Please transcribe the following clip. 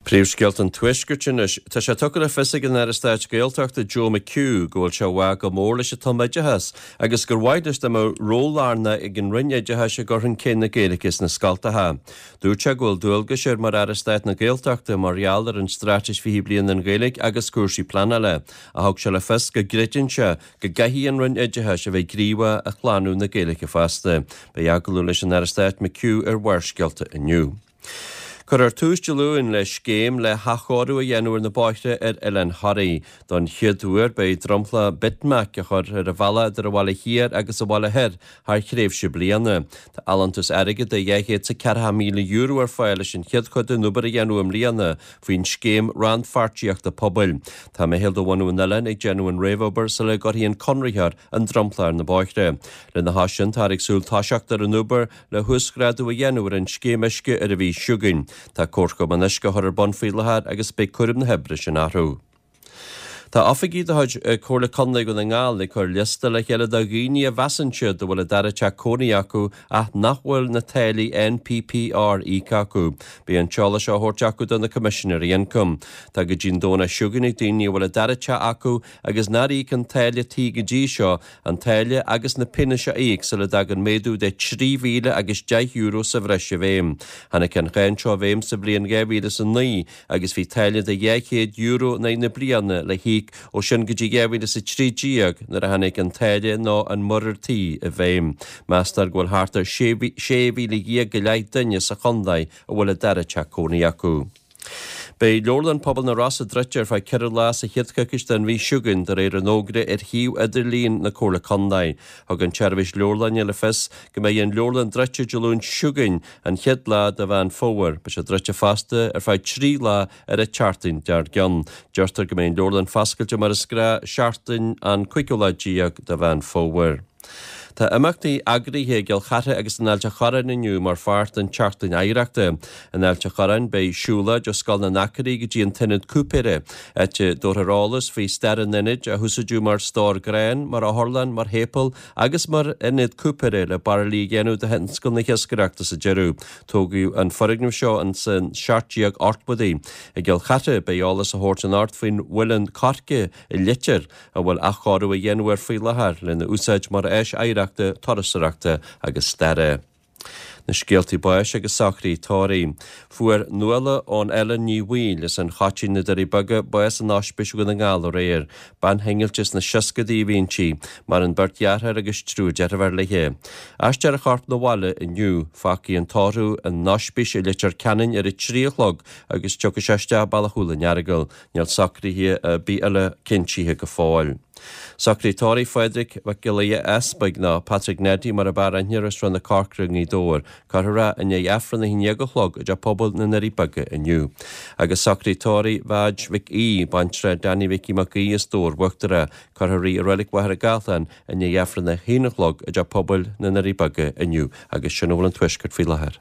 Príomhscéalta an Tuaiscirt anois. Tá sé tugtha le fios ag an Aire Stáit Gaeltachta Joe McHugh go bhfuil sé i bhfách go mór leis an tumoideachas agus gur mhaith leis dá mbeadh ról lárnach ag an Roinn Oideachais i gcur chun cinn na Gaeilge sna scoltacha. Dúirt sé go bhfuil dualgais air mar Aire Stáit na Gaeltachta mar gheall ar an Straitéis 20 Bliain don Ghaeilge agus cúrsaí pleanála ach thug sé le fios go gcreideann sé go gcaithfidh an Roinn Oideachais a bheith gníomhach i shlánú na Gaeilge fosta. Beidh agallamh leis an Aire Stáit McHugh ar Bharrscéalta inniu. Cuirfear tús Dé Luain le scéim le hathchóiriú a dhéanamh ar na bóithre ar Oileán Thoraí. Don chéad uair beidh dromchla bitmac á chur ar an bhealach idir an Bhaile Thiar agus an Bhaile Thoir thar thréimhse bliana. Tá allúntas airgid de €240,000 ar fáil leis an chéad chuid den obair a dhéanamh i mbliana faoin scéim rannpháirtíochta pobail. Tá meitheal de bhunadh an oileáin ag déanamh an réamhobair sula gcuirfidh an conraitheoir an dromchla ar na bóithre. Lena chois sin táthar ag súil toiseacht ar an obair le huasghrádú a dhéanamh ar an scéim uisce ar an mhí seo chugainn. Tá Comharchumann Uisce á chur ar bun faoi láthair agus beidh cúram na hoibre sin orthu. Tá oifigigh de chuid Comhairle Contae Dhún na nGall ag cur liosta le chéile de dhaoine a mheasann siad a bhfuil a dara teach cónaí acu ach nach bhfuil na táillí NPPR íoctha acu. Beidh an t-eolas seo á thabhairt acu do na Coimisinéirí Ioncaim. Tá go dtí an Domhnach seo chugainn ag daoine a bhfuil a dara teach acu agus nár íoc an táille tí go dtí seo an táille agus na pionóis a íoc sula dtagann méadú de €3,000 agus €10 sa bhreis i bhfeidhm. Tháinig an cháin seo i bhfeidhm sa bhliain 2009 agus bhí táille de €200 in aghaidh na bliana le híoc ó sin go dtí 2013 nuair a tháinig an táille nó an muirear tí i bhfeidhm. Meastar go bhfuil thart ar 16,000 go leith duine sa chontae a bhfuil a dara teach cónaí acu. Beidh Leabharlann Pobail na Rosa druidte ar feadh 4 lá sa chéad choicís den mhí seo chugainn, de réir an fhógra ar shuíomh idirlín na Comhairle Contae. Thug an tSeirbhís Leabharlainne le fios go mbeidh an leabharlann druidte Dé Luain seo chugainn, an chéad lá de Mheán Fómhair. Beidh sé druidte fosta ar feadh 3 lá ar an tseachtain dár gcionn. Deirtear go mbeidh an leabharlann foscailte mar is gnáth seachtain an cúigiú lá déag de Mheán Fómhair. Tá imeachtaí eagraithe i gCill Chartha agus in Ailt a' Chorráin inniu mar pháirt den tSeachtain Oidhreachta. In Ailt a' Chorráin beidh siúlóid ó Scoil na nAcairí go dtí an tIonad Cúipéara, áit a dtabharfar eolas faoi stair an ionaid, a húsáideadh mar stór gráin, mar otharlann, mar shéipéal agus mar ionad cúipéara le bairillí a dhéanamh do thionscal na hiascaireachta sa deireadh. Tógadh an foirgneamh seo ins an 1780idí. I gCill Chartha beidh eolas á thabhairt anocht faoin mhuileann coirce i Leitir, a bhfuil athchóiriú á dhéanamh air faoi láthair lena úsáid mar áis oidhreachta, turasóireachta agus staire. Na scéaltaí báis agus socruithe tórraimh. Fuair Nuala ón Ellen Ní Bhaoill as an Choitín na Doirí Beaga bás in Ospís Dhún na nGall aréir. Bean shingillte sna seascadaí a bhí inti. Maireann beirt dheartháir agus triúr deirfiúr léi. Aistreofar a corp 'na bhaile inniu. Fágfaidh an tórramh an Ospís i Leitir Ceanainn ar a 3 a chlog agus tiocfaidh sé isteach Bealach Chúil an Earagail. Níl socruithe ar bith eile cinntithe go fóill. Socruithe tórraimh Phádraig Mhic Giolla Easpaig, nó Patrick Neddy mar ab fhearr aithne air as Srath na Corcra i nGaoth Dobhair. Cuirfear é i ndiaidh Aifreann 11 a chlog i dTeach Pobail na nDoirí Beaga inniu. Agus socruithe tórraimh Mheaid Mhic Aoidh, baintreach Danny Mhicí Mac Aoidh as Dobhar Uachtarach. Cuirfear í i Reilig Mhachaire Gathlán i ndiaidh Aifreann 1 a chlog i dTeach Pobail na nDoirí Beaga inniu. Agus sin a bhfuil ón Tuaisceart faoi láthair.